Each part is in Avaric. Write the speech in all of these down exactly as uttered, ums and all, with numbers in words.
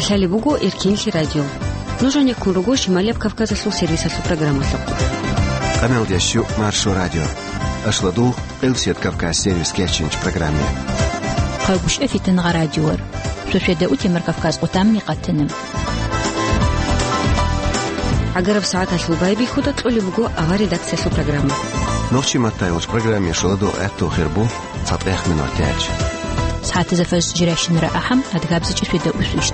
Лъалеб буго Эркенлъи радио. Нуж гьанеккун руго Шималияб Кавказалъул сервисалъул программалъухъ. Къамелдеш Маршо радио. Ашладул, Къилсият Кавказ сервис кечинч программе. Хъагушев Фитнагъа радиор. Шошеда утемар Кавказ къутамни къатана. ГӀагараб сагӀаталъул байбихьуда кьолеб буго авар редакциялъул программа. Нохчи маттайолч программе шуладул гӀатту хирбу. ЦатӀех минутач. СагӀатазда фарз жирашинра ахӀам, адгабзичӀи сведа усвищ.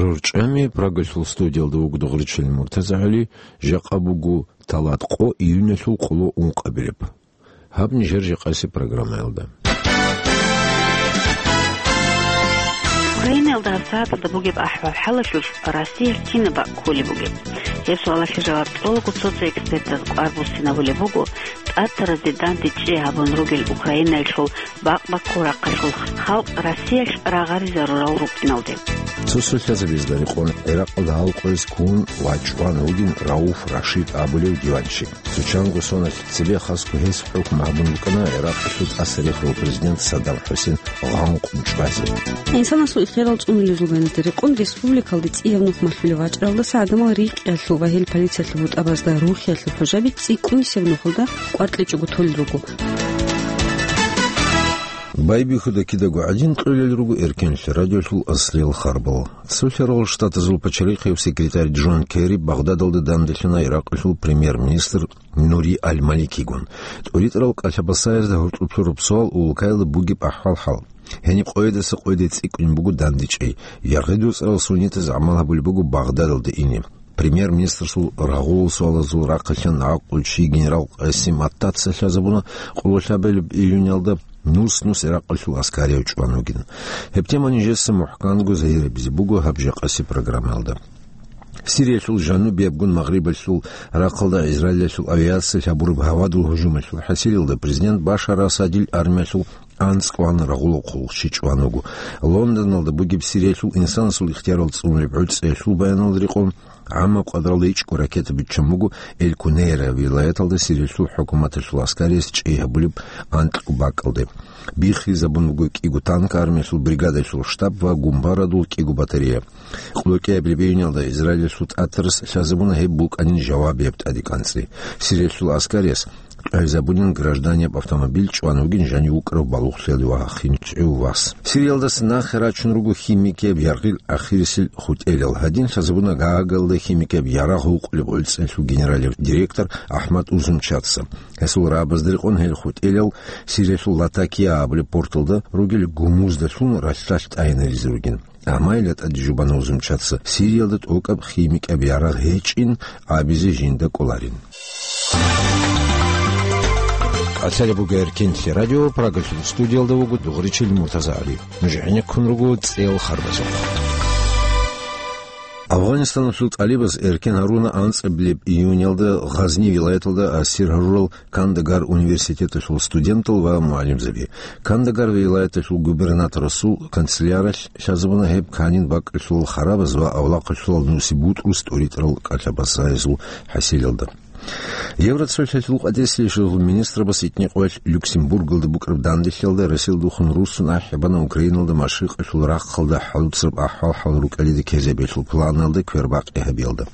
РурчӀами Прагалъул студиялда вуго Дугъричил МуртазагӀали, жакъа буго талат къо июньалъул къоло ункъабилеб. Гьаб нижер жакъаси программаялда. Украинаялда гьабсагӀаталда бугеб ахӀвал-хӀалалъулъ Россиялъ кинаб бакӀ кколеб бугеб? Гьеб суалалъе жаваб кьолаго цо-цо экспертаз кӀвар буссинабулеб буго, тӀатаразде дандечӀей гьабун ругел Украинаялъул бакъ-баккул рахъалъул халкъ Россиялъ рагъаризарурал рукӀиналде. Цо-цо лъазабазда рекъон ГӀиракъалда гьал къоялъ ккун ва чӀван вугин Рауф Рашид абулев диванчи. Цо чанго соналъ цебе хасго гьес хӀукму гьабун букӀана ГӀиракъалъул тӀасарихарав президент Саддам ХӀусейн гъанкъун чӀвазе. Инсанасул ихтиярал цӀунулезул байназда рекъон республикалде цӀияб нух малъулев вачӀаралдаса гӀадамал рикӀкӀиялъул ва гьел полициялъул бутӀабазда рухиялъул хӀужаби цӀикӀкӀунисеб нухалда кӀвар кьечӀого толел руго. Байбихьуда кидаго гӀадин кьолел руго Эркенлъи радиолъул аслиял харбал. Цолъарал Штатазул пачалихъев секретарь Джон Керри Багъдадалда данделъана ГӀиракъалъул премьер-министр Нури Аль-Маликигун. ТӀуритӀарал кӀалъа-басаязда гьоркьоб лъураб суал улкаялда бугеб ахӀвал-хӀал. Гьениб къоядаса къояде цӀикӀкӀунеб буго дандечӀей. Яргъи доцӀарал суннитаз гӀамал гьабулеб буго Багъдадалда ине. Премьер-министрасул рагъулал суалазул рахъалъан гӀакълу чи генерал Къасим Аттаца лъазабуна къоло лъабабилеб июньалда нус-нус ГӀиракъалъул аскарияв чӀван вугин. Гьеб тема нижеца мухӀканго загьирабизе буго гьаб жакъаси программаялда. Сириялъул жанубиябгун Магърибалъул рахъалда Израилалъул авиациялъ гьабураб гьавадул гьужумалъул хӀасилалда президент Башар Асадил армиялъул анцӀкӀван рагъулахъулъ чи чӀван вуго. Лондоналда бугеб Сириялъул инсанасул ихтиярал цӀунулеб гӀуцӀиялъул баяналда рекъон, гӀаммаб къадралда ичӀго ракета биччан буго Эль-Кунейра вилаяталда Сириялъул хӀукуматалъул аскариялъ чӀей гьабулеб анкьго бакӀалде. Биххизабун буго кӀиго танк, армиялъул бригадалъул штаб ва гумбарадул кӀиго батарея. Къоло кӀиабилеб июньалда Израилалъул тӀатарас лъазабуна гьеб букӀанин жавабияб тӀадегӀанцӀи. Сириялъул аскариялъ къайзабунин гражданияб автомобиль чӀван вугин жанив вукӀарав балугълъиялде вахинчӀев вас. Сириялдаса нахъе рачун руго химикияб яргъил ахирисел хутӀелал. Гьадин лъазабуна Гаагалда химикияб ярагъ гьукъулеб гӀуцӀиялъул генералияб директор Ахмад Узумчаца. Гьесул рагӀабазда рекъон гьел хутӀелал Сириялъул Латакия абулеб порталда ругел гумуздалъун ралъдалъ тӀайинаризе ругин. Амма гьелда тӀаде жубана Узумчаца Сириялда тӀокӀаб химикияб ярагъ гьечӀин абизе жинда кӀоларин. Лъалеб буго Эркенлъи радио, Прагалъул студиялда вуго Дугъричил МуртазагӀали. Нуж гӀенеккун руго цӀел харбазухъ. Афганистаналъул тӀалибаз эркен гьаруна анцӀабилеб июньалда Гъазни вилаяталда ассир гьарурал Кандагар университеталъул студентал ва мугӀалимзаби. Кандагар вилаяталъул губернаторасул канцеляралъ лъазабуна гьеб канин бакӀалъулал харабаз ва авлахъалъулал нусибутӀрус тӀуритӀарал кӀалъа-басаязул хӀасилалда. Евроцолъалъул къватӀислъиялъул министрабас итни къоялъ Люксембургалда букӀараб данделъиялда Россиялдухун руссун ахӀи бана Украиналда машрикъалъул рахъалда хӀалуцараб ахӀвал-хӀал рукӀалида ккезабиялъул планалда квербакъи гьабиялда.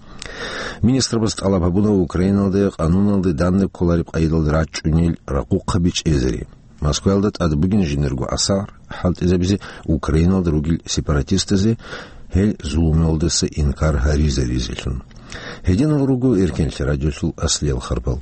Министрабаз тӀалаб гьабуна Украиналда къануналда данде кколареб къайдалда рачӀунел ракъухъаби чӀезари. Москваялда тӀад бугин жиндирго асар хӀалтӀизабизе Украиналда ругел сепаратистазе гьел зулумалдаса инкар гьаризаризелъун. Гьединал руго Эркенлъи радиолъул аслиял харбал.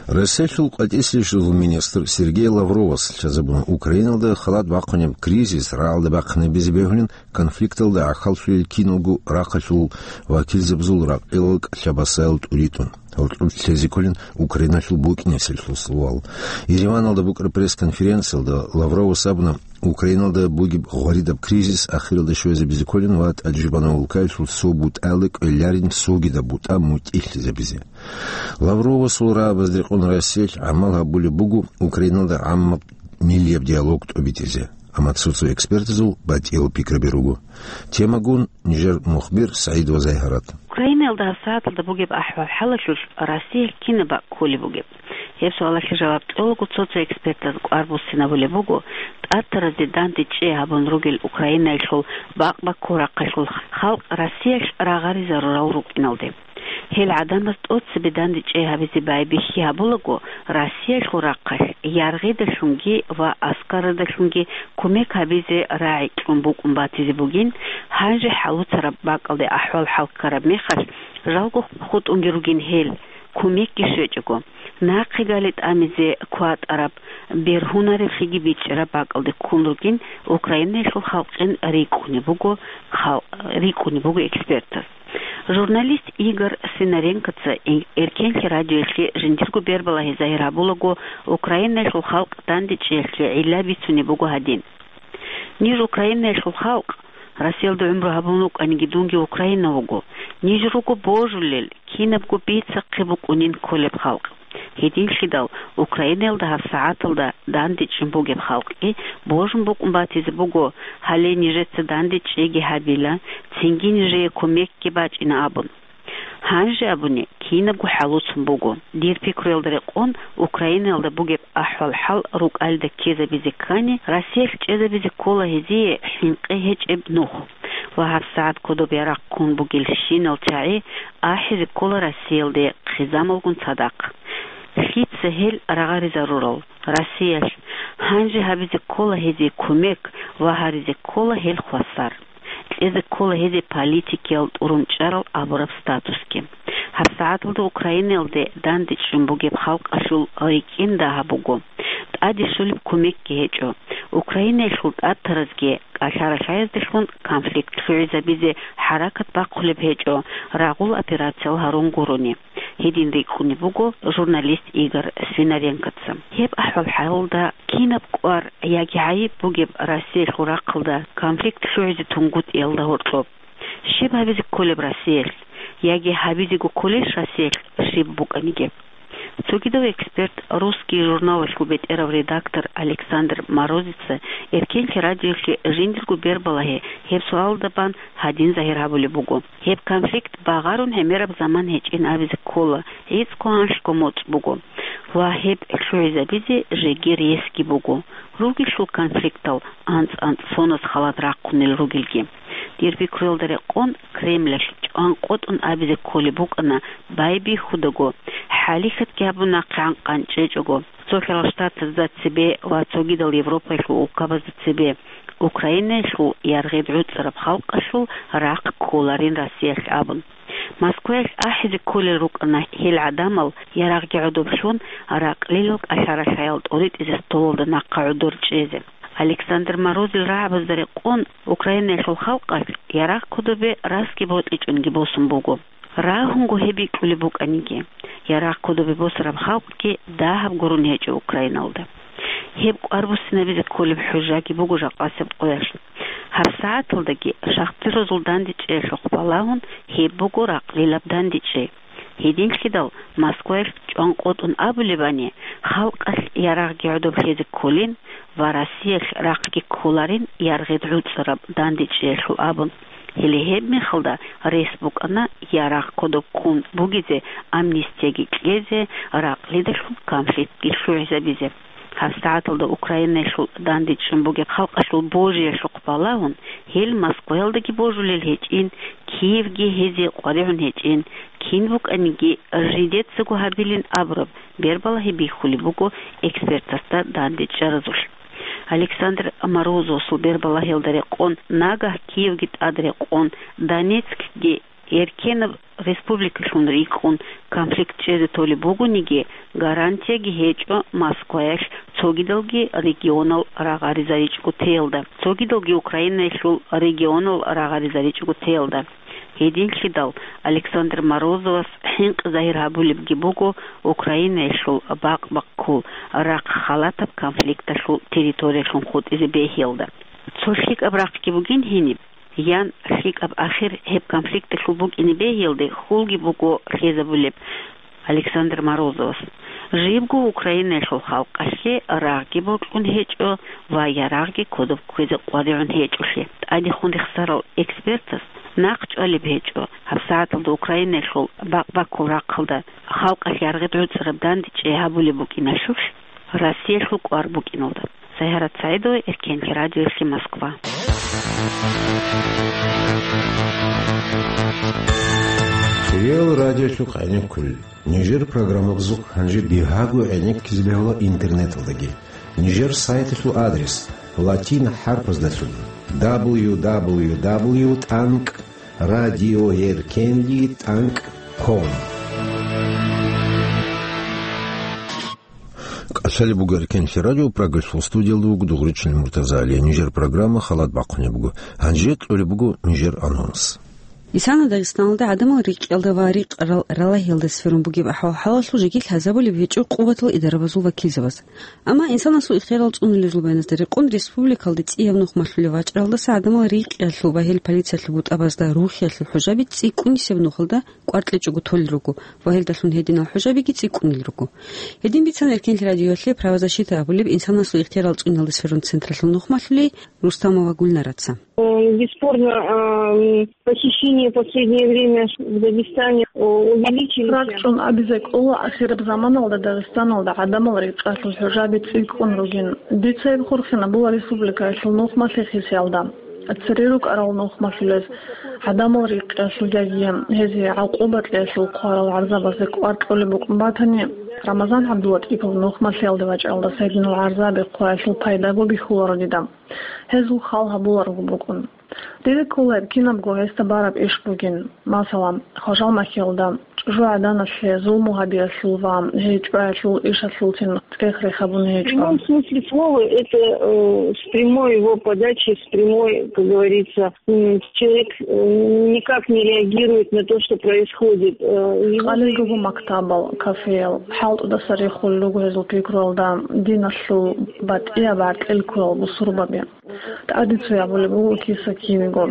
Россиялъул къватӀислъиялъул министр Сергей Лавровас лъазабуна Украиналда халат бахъунеб кризис рагӀалда бахъинабизе бегьулин конфликталда гӀахьаллъулел киналго рахъалъул вакилзабазул ракъилал кӀалъа-басаял тӀуритӀун. Гьоркьоб лъезе кколин Украиналъул букӀинеселъул суал. Ереваналда букӀараб пресс-конференциялда Лавровас абуна, Украиналда бугеб гъваридаб кризис ахиралда щвезабизе кколин ва тӀаде жубана улкаялъул цо бутӀаялда кӀвеларин цогидаб бутӀа мутӀигӀлъизабизе. Лавровасул рагӀабазда рекъон Россиялъ гӀамал гьабулеб буго Украиналда гӀаммаб миллияб диалог тӀобитӀизе. Амма цо-цо экспертазул батӀиял пикраби руго. Темагун нижер мухбир СагӀид ва Зайгьарат. Украинаялда гьабсагӀаталда бугеб ахӀвал-хӀалалъулъ Россиялъ кинаб бакӀ кколеб бугеб? Гьеб суалалъе жаваб кьолаго цо-цо экспертаз кӀвар буссинабулеб буго, тӀатаразде дандечӀей гьабун ругел Украинаялъул бакъ-баккул рахъалъул халкъ Россиялъ рагъаризарурал рукӀиналде. Гьел гӀадамаз тӀоцебе дандечӀей гьабизе байбихьи гьабулаго, Россиялъул рахъалъ яргъидалъунги ва аскарадалъунги кумек гьабизе рагӀи кьун букӀун батизе бугин, гьанже хӀалуцараб бакӀалде ахӀвал-хӀал ккараб мехалъ, жалго хутӀунги ругин гьел, кумекги щвечӀого, нахъе гали тӀамизе кватӀараб, бергьунареблъиги бичӀчӀараб бакӀалде ккун ругин, Украинаялъул халкъин рикӀкӀунеб буго, хал-, рикӀкӀунеб буго экспертаз. Журналист Игорь Свинаренкоца ин-, Эркенлъи радиоялъе жиндирго бербалагьи загьир гьабулаго, Украинаялъул халкъ дандечӀеялъе гӀилла бицунеб буго гьадин: «Ниж Украинаялъул халкъ, Россиялда гӀумру гьабун вукӀаниги дунги Украинав вуго. Ниж руго божулел, кинабго бицахъе букӀунин кколеб халкъ. Гьединлъидал Украинаялда гьабсагӀаталда дандечӀун бугеб халкъги божун букӀун батизе буго, гьале нижеца дандечӀейги гьабила, цинги нижее кумекги бачӀина», — абун. Гьанже абуни, кинабго хӀалуцун буго. Дир пикруялда рекъон, Украинаялда бугеб ахӀвал-хӀал рукӀалда ккезабизе ккани, Россиялъ чӀезабизе ккола гьезие хӀинкъи гьечӀеб нух ва гьабсагӀат кодоб ярагъ ккун бугелщинал чагӀи ахӀизе ккола Россиялде хъизамалгун цадахъ. Лъица гьел рагъаризарурал? Россиялъ гьанже гьабизе ккола гьезие кумек ва гьаризе ккола гьел хвасар. Кьезе ккола гьезие политикиял тӀурун чӀарал абураб статусги. ГьабсагӀаталда Украинаялде дандечӀун бугеб халкъалъул рикӀкӀин дагьаб буго. ТӀаде щолеб кумекги гьечӀо. Украинаялъул тӀатаразги кӀалъа-ралъаязделъун конфликт лъугӀизабизе хӀаракат бахъулеб гьечӀо, рагъул операциял гьарун гурони. Гьедин рикӀкӀунеб буго журналист Игорь Свинаренкоца. Гьеб ахӀвал-хӀалалда кинаб кӀвар яги гӀайиб бугеб Россиялъул рахъалда конфликт лъугӀизе тунгутӀиялда гьоркьоб? Щиб гьабизе кколеб Россиялъ? Яги гьабизего кколелъ Россиялъ щиб букӀаниги? Цогидав эксперт «Русский» журналалъул бетӀерав редактор Александр Морозица Эркенлъи радиоялъе жиндирго бербалагьи гьеб суалда бан гьадин загьир гьабулеб буго: «Гьеб конфликт багъарун гӀемераб заман гьечӀин абизе ккола, гӀицӀго анлъго моцӀ буго. Ва гьеб лъугӀизабизе жеги ресги буго, ругелъул конфликтал анцӀ-анцӀ соназ халат рахъунел ругелги. Дир пикруялда рекъон, Кремлалъ чӀван къотӀун абизе кколеб букӀана байбихьудаго, хӀалихьатги гьабун нахъегӀан къанчӀечӀого, цо хӀарал штатазда цебе ва цогидал Европаялъул улкабазда цебе, Украинаялъул яргъид гӀуцӀараб халкъалъул рахъ кколарин Россиялъ», — абун. Москваялъ ахӀизе кколел рукӀана гьел гӀадамал ярагъги гӀодоблъун ракълилал кӀалъа-ралъаял тӀоритӀизе столалда нахъа гӀодор чӀезе. Александр Морозил рагӀабазда рекъон, Украинаялъул халкъалъ ярагъ кодобе расги бокьичӀонги босун буго. Рагьунго гьеб бикьулеб букӀаниги, ярагъ кодобе босараб халкъги дагьаб гурун гьечӀо Украиналда. Гьеб кӀвар буссинабизе кколеб хӀужаги буго жакъасеб къоялъ. ГьабсагӀаталдаги шахтирозул дандечӀеялъухъ балагьун, гьеб буго ракълилаб дандечӀей. Гьединлъидал Москваялъ чӀван къотӀун абулебани, халкъалъ ярагъги гӀодоблъезе кколин ва Россиялъ рахъги кколарин яргъид гӀуцӀараб дандечӀеялъул абун. Гьеле гьеб мехалда рес букӀана ярагъ кодоб ккун бугезе, амнистияги кьезе, ракълидалъун конфликтги лъугӀизабизе. ГьабсагӀаталда Украинаялъул дандечӀун бугеб халкъалъул божиялъухъ балагьун, гьел Москваялдаги божулел гьечӀин, Киевги гьезие къваригӀун гьечӀин, кин букӀаниги жидецаго гьабилин абураб бербалагьи бихьулеб буго экспертасда дандечӀаразулъ. Александр Морозовасул бербалагьиялда рекъон, нагагь Киевги тӀад рекъон, Донецкги эркенаб республикалъун рикӀкӀун конфликт чӀезе толеб бугониги, гарантияги гьечӀо Москваялъ цогидалги регионал рагъаризаричӀого теялда, цогидалги Украинаялъул регионал рагъаризаричӀого теялда. Гьединлъидал Александр Морозовас хӀинкъи загьир гьабулебги буго Украинаялъул бакъ-баккул рахъ халатаб конфликталъул территориялъун хутӀизе бегьиялда. Цо лъикӀаб рахъги бугин гьениб, ян лъикӀаб ахир гьеб конфликталъул букӀине бегьиялде хьулги буго лъезабулеб Александр Морозовас. Жибго Украинаялъул халкъалъе рагъги бокьун гьечӀо ва ярагъги кодоб кквезе къваригӀун гьечӀолъи, тӀадехун рехсарал экспертас нахъ чӀвалеб гьечӀо, гьабсагӀаталда Украинаялъул бакъ-баккул рахъалда халкъалъ яргъи гӀуцӀараб дандечӀей гьабулеб букӀиналъулъ, Россиялъул кӀвар букӀиналда. Сайгьарат СагӀидова, Эркенлъи радиоялъе, Москва. Реал радиолъухъ гӀенеккулел. Нижер программабазухъ гьанже бигьаго гӀенеккизе бегьула интернеталдаги. Нижер сайталъул адрес латин хӀарпаздалъун: дабл ю дабл ю дабл ю тӀанкӀ радиоэркенлъи тӀанкӀ ком. КӀалъалеб буго Эркенлъи радио, Прагалъул студиялда вуго Дугъричил МуртазагӀали. Нижер программа халат бахъунеб буго. Гьанже кьолеб буго нижер анонс. Исана Дагъистаналда гӀадамал рикӀкӀалда ва рикъ рал-, ралагьиялда сверун бугеб ахӀвал-хӀалалъул жеги лъазабулеб гьечӀо къуватал идарабазул вакилзабаз. Амма инсанасул ихтиярал цӀунулезул баяназда рекъон, республикалде цӀияб нух малъулев вачӀаралдаса гӀадамал рикӀкӀиялъул ва гьел полициялъул бутӀабазда рухиялъул хӀужаби цӀикӀкӀунисеб нухалда кӀвар кьечӀого толел руго ва гьелдалъун гьединал хӀужабиги цӀикӀкӀунел руго. Гьедин бицана Эркенлъи радиоялъе правозащита абулеб инсанасул ихтиярал цӀунулезда сверун централъул нух малъулей Рустамова Гульнараца. Э, бесспорно, э, похищения в последнее время в Дагестане, э, увеличились. РакӀчӀун абизе кӀола, ахираб заманалда Дагъистаналда гӀадамал рикӀкӀалъул хӀужаби цӀикӀкӀун ругин. Дица гьеб хурхинабула республикаялъул нух малъихъисиялда. Цере рукӀарал нух малъулез, гӀадамал рикӀкӀиялъул яги гьезие гӀакъуба кьеялъул хъварал гӀарзабазе кӀвар кьолеб букӀун батани, Рамазан ГӀабдулатӀипов нух малъиялде вачӀаралдаса гьединал гӀарзаби хъваялъул пайдаго бихьуларо дида. Гьезул хал гьабуларого букӀун. Дида ккола гьеб кинабго гьесда бараб иш бугин. Масала, Хважал махьиялда чӀужугӀаданалъе зулму гьабиялъул ва гьей чӀваялъул ишалъулцин цӀех-рех гьабун В гьечӀо. Прямом смысле слова, это, э, с прямой его подачи, с прямой, как говорится, м, человек, э, никак не реагирует на то, что происходит. Э, его Къалилго мактабал, кафеял, хӀалтӀудаса рехулел руго гьезул пикруялда диналъул батӀияб гӀаркьил ккурал бусурбаби. ТӀаде цоябулеб буго киса-кинего.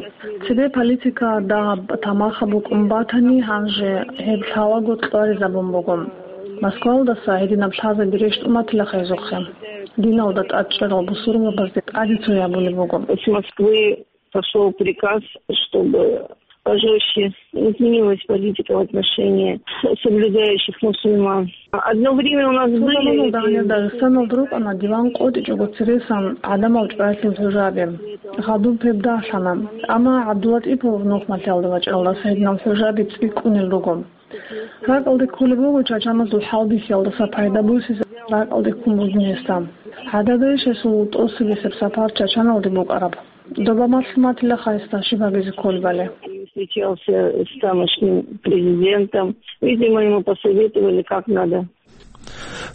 Цебе политика дагьаб тамаха букӀун батани, гьанже гьеб лъалаго кьваризабун буго. Москвалдаса гьединаб лъазаби рещтӀун батила хайзухъе. Диналда тӀадчӀарал бусурбабазде тӀаде цоябулеб буго. С Москвы пошёл приказ, чтобы пожёстче изменилась политика в отношении соблюдающих мусульман. Одно время у нас Цо заманалда гьанир были Дагъистаналда рукӀана диван къотӀичӀого цересан гӀадамал чӀваялъул хӀужаби. Гъадуб гьеб дагьлъана. Амма ГӀабдулатӀипов нух малъиялде вачӀаралдаса гьединал хӀужаби цӀикӀкӀунел руго. РакӀалде кколеб буго чачаназул хӀалбихьиялдаса пайда босизе ракӀалде ккун бугин гьесда. ГӀададайищ гьесул тӀоцебесеб сапар Чачаналде букӀараб? Доба малъун батила хайсда щиб гьабизе кколебали. Встречался с тамошним президентом. Видимо, ему посоветовали, как надо.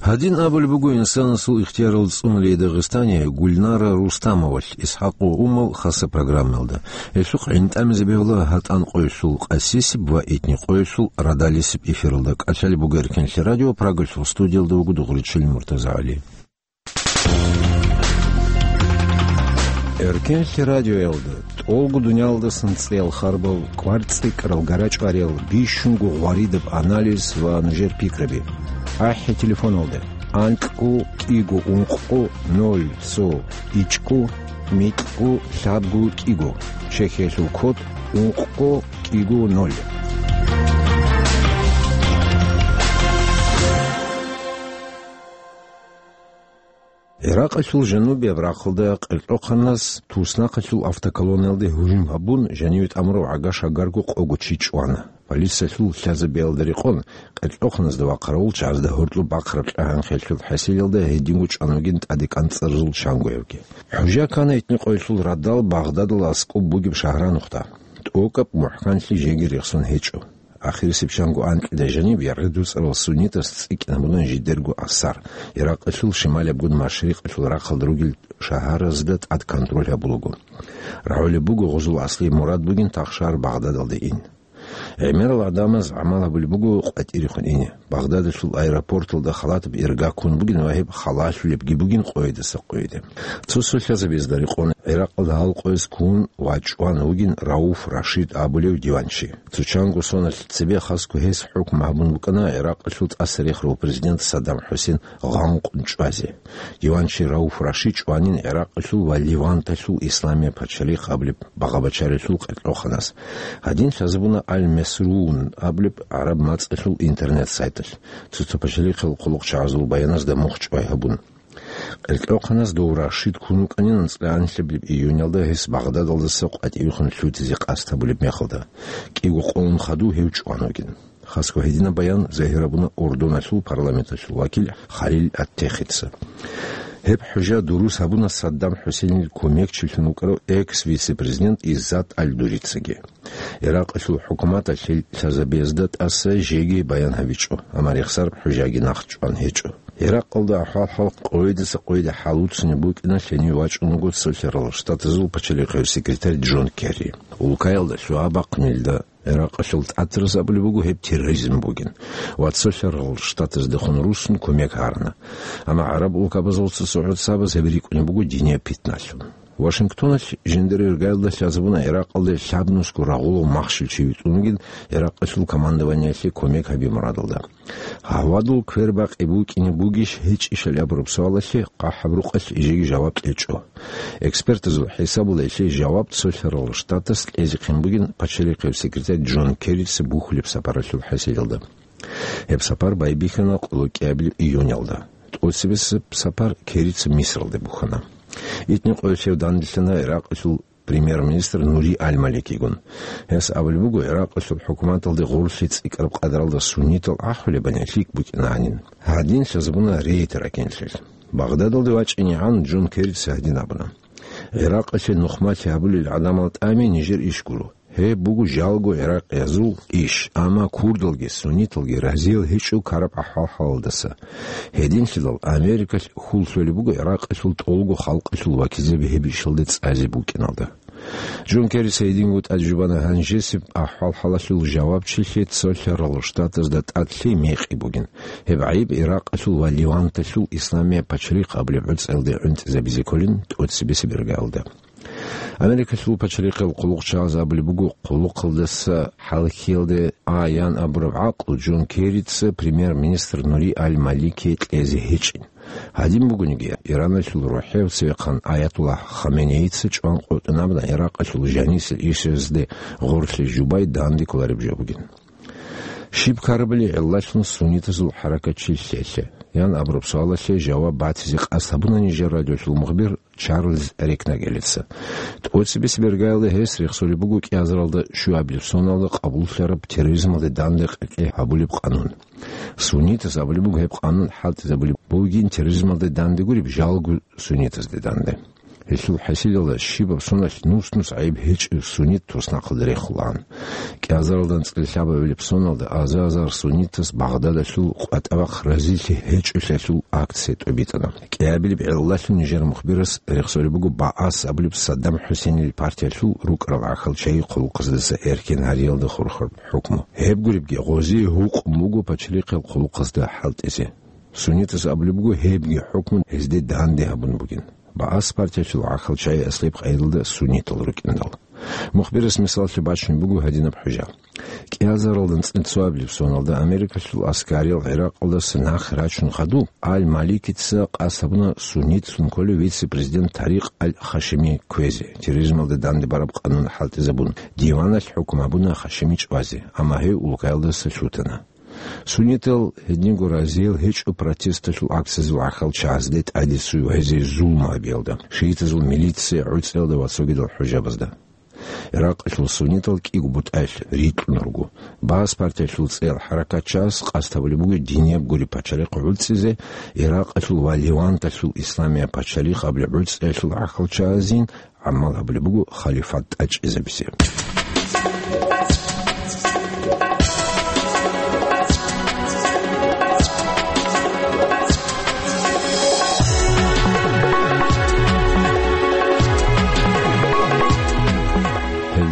Гьадин абулеб буго инсанасул ихтиярал цӀунулей Дагъистане Гульнара Рустамовалъ Исхакъ ва Умал хаса программаялда. Гьелъухъ гӀинтӀамизе бегьула гьатӀан къоялъул Къасисиб ва итни къоялъул Радалисиб эфиралда. КӀалъалеб буго Эркенлъи радио, Прагалъул студиялда вуго Дугъричил МуртазагӀали. Эркенлъи радиоялда тӀолго дуниялдасан цӀеял харбал, кӀвар цӀикӀкӀарал, гара чӀвариял, бищунго гъваридаб анализ ва нужер пикраби. АхӀи телефоналда: анкьго кӀиго ункъго ноль цо ичӀго микьго лъабго кӀиго, чехьиялъул код ункъго кӀиго ноль. Гьиракъалъул жанубияб рахъалда къеркьохъанас туснахъалъул автоколоннаялде гьужум гьабун, жаниве тӀамурав гӀага-шагарго къого чи чӀвана. Полициялъул лъазабиялда рекъон, къеркьохъаназда ва хъаравулчагӀазда гьоркьоб бахъараб кьагьан-хелъул хӀасилалда гьединго чӀван вугин тӀаде кӀанцӀарзул чангоябги. ХӀужа ккана итни къоялъул радал Багъдадалда аскӀоб бугеб шагьранухъда. ТӀокӀаб мухӀканлъи жеги рехсон гьечӀо. Ахирисеб чанго анкьида жаниб яргъи дуцӀарал суннитас цӀикӀкӀин гьабуна жидерго асар. Иракъалъул шималиябгун машрикъалъул рахъалда ругел шагьаразда тӀад контроль гьабулаго. РагӀулеб буго гъузул аслияб мурад бугин тахшар Багъдадалде ин. ГӀемерал гӀадамаз гӀамал гьабулеб буго къватӀирехун ине. Багъдадалъул аэропорталда халатаб ирга ккун бугин ва гьеб халалъулебги бугин къойидаса къойиде. Цо-цо лъазабазда рекъон ГӀиракъалда гьал къояз ккун ва чӀван вугин Рауф Рашид абулев диванчи. Цо чанго соналъ цебе хасго гьес хӀукму гьабун букӀана ГӀиракъалъул тӀасарихарав президент Саддам ХӀусейн гъанкъун чӀвазе. Диванчи Рауф Рашид чӀванин ГӀиракъалъул ва Леванталъул Исламия пачалихъ абулеб багъа-бачаралъул къеркьоханас. Гьадин лъазабуна Аль-Месрун абулеб гӀараб мацӀалъул интернет-сайталъ, цо-цо пачалихъал хъулухъчагӀазул баяназда мухь чӀвай гьабун. Къеркьохъанас дов Рашид ккун вукӀанин анцӀкьанлъабилеб июнялда гьес Багъдадалдаса къватӀивехун лъутизе къасд гьабулеб мехалда. КӀиго къоялъ хадув гьев чӀван вугин. Хасго гьединаб баян загьир гьабуна Урдуналъул парламенталъул вакил Халил Ат-Техица. Гьеб хӀужа дурус гьабуна Саддам ХӀусейнил кумекчилъун вукӀарав экс-вице-президент Иззат Аль-Дурицаги. Иракъалъул хӀукуматалъе лъазабиязда тӀаса жеги баян гьабичӀо, амма рехсараб хӀужаги нахъ чӀван гьечӀо. Иракъалда ахӀвал-хӀал къойидаса къойида хӀалуцунеб букӀина лъенив вачӀун вуго Цолъарал Штатазул пачалихъев секретарь Джон Керри. Улкаялда лъугьа-бахънилда Иракъалъул тӀатараз абулеб буго гьеб терроризм бугин ва Цолъарал Штатаздехун руссун кумек гьарана. Амма гӀараб улкабазул цо-цо гӀурцабаз гьеб рикӀкӀунеб буго динияб питналъун. Вашингтоналъ жиндир иргаялда лъазабуна Иракъалде лъабнусго рагъулав махщел чи витӀун вугин Иракъалъул командованиялъе кумек гьаби мурадалда. Гьавадул квербакъи букӀине бугищ гьечӀищали абураб суалалъе хъахӀаб рукъалъ жеги жаваб кьечӀо. Экспертазул хӀисабалда гьелъие жаваб Цолъарал Штатас кьезехъин бугин пачалихъев секретарь Джон Керрица бухьулеб сапаралъул хӀасилалда. Гьеб сапар байбихьана къоло кӀиабилеб июнялда. ТӀоцебесеб сапар Керрица Мисралде бухьана. ИтӀни къоялъ данделъана Иракъалъул премьер-министр Нури Аль-Маликигун. Гьес абулеб буго, Иракъалъул хӀукуматалде гъорлъи цӀикӀкӀараб къадаралда суннитал ахӀулебани лъикӀ букӀинанин. Гьадин лъазабуна рейд ракӀиналъул. Багъдадалде вачӀинегӀан Джон Керрица гьадин абуна: «Иракъалъе нухмалъи гьабулел гӀадамал тӀами нижер иш гуро. Гьеб буго жалго гӀиракъиязул иш, амма курдалги сунниталги разиял гьечӀо ккараб ахӀвал-хӀалалдаса. Гьединлъидал Америкалъ хьул лъолеб буго Иракъалъул тӀолго халкъалъул вакилзаби гьеб ишалде цӀазе букӀиналда». Джон Керрица гьединго тӀаде жубана гьанжесеб ахӀвал-хӀалалъул жавабчилъи Цолъарал Штатазда тӀад лъей мекъи бугин. Гьеб гӀайиб Иракъалъул ва Леванталъул Исламия пачалихъ абулеб гӀуцӀаялде гӀунтӀизабизе кколин тӀоцебесеб иргаялда. Америкалъул пачалихъал хъулухъчагӀаз абулеб буго, хъулухъалдаса хӀалхьиялде а ян абураб гӀакълу Джон Керрица премьер-министр Нури Аль-Маликие кьезе гьечӀин. Гьадин бугониги, Ираналъул рухӀев цевехъан Аятуллагь Хаменеица чӀван къотӀун абуна Иракъалъул жанисел ишазде гъорлъе жубай данде кколареб жо бугин. Щиб ккарабали гӀиллалъун суннитазул хӀаракат чи лъелъе? Ян абураб суалалъе жаваб батизе къасд гьабуна нижер радиолъул мухбир Чарльз Рекнагелица. ТӀоцебесеб иргаялда гьес рехсолеб буго кӀиазаралда щуабилеб соналда къабуллъараб терроризмалде данде къекъей гьабулеб къанун. Суннитаз абулеб буго гьеб къанун хӀалтӀизабулеб бугин терроризмалде данде гуреб, жалго суннитазде данде. Гьелъул хӀасилалда щибаб соналъ нус-нус гӀайиб гьечӀев суннит туснахъалда рехулаан. КӀиазаралда анцӀила лъабабилеб соналда аза-азар суннитас Багъдадалъул къватӀа-вахъ разилъи гьечӀолъиялъул акция тӀобитӀана. КӀиабилеб гӀиллалъун нижер мухбирас рехсолеб буго БААС абулеб Саддам ХӀусейнил партиялъул рукӀарал гӀахьалчагӀи хъулухъаздаса эркин гьариялда хурхараб хӀукму. Гьеб гуребги, гъозие гьукъун буго пачалихъал хъулухъазда хӀалтӀизе. Суннитас абулеб буго, гьебги хӀукму гьезде данде гьабун бугин. БААС партиялъул гӀахьалчагӀи аслияб къайдалда суннитал рукӀиндал. Мухбирас мисаллъи бачунеб буго гьадинаб хӀужа. КӀиазаралда анцӀила цоабилеб соналда Америкалъул аскариял ГӀиракъалдаса нахъе рачун хадуб, Аль-Маликица къасд гьабуна суннитлъун кколев вице-президент Тарикъ Аль-Хашими кквезе, терроризмалда данде бараб къанун хӀалтӀизабун, диваналъ хӀукму гьабуна Хашими чӀвазе, амма гьев улкаялдаса лъутана. Суннитал гьединго разиял гьечӀо протесталъул акциязул гӀахьалчагӀазде тӀадесуй ва гьезие зулму гьабиялда, шиитазул милиция гӀуцӀиялда ва цогидал хӀужабазда. Иракъалъул суннитал кӀиго бутӀаялъ рикьун руго. БААС партиялъул цӀеял хӀаракатчагӀаз къасд гьабулеб буго динияб гуреб пачалихъ гӀуцӀизе, Иракъалъул ва Леванталъул Исламия пачалихъ абулеб гӀуцӀиялъул гӀахьалчагӀазин гӀамал гьабулеб буго халифат тӀачӀизабизе.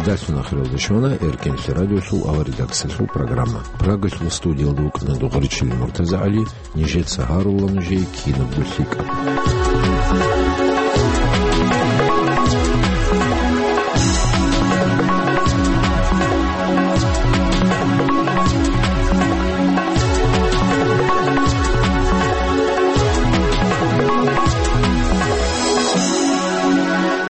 Гьелдалъун ахиралде щвана Эркенлъи радиолъул аваридаксалъул программа. Прагалъул студиялда вукӀана Дугъричилин МуртазагӀали, нижеца гьарула нужее кинабго лъикӀаб.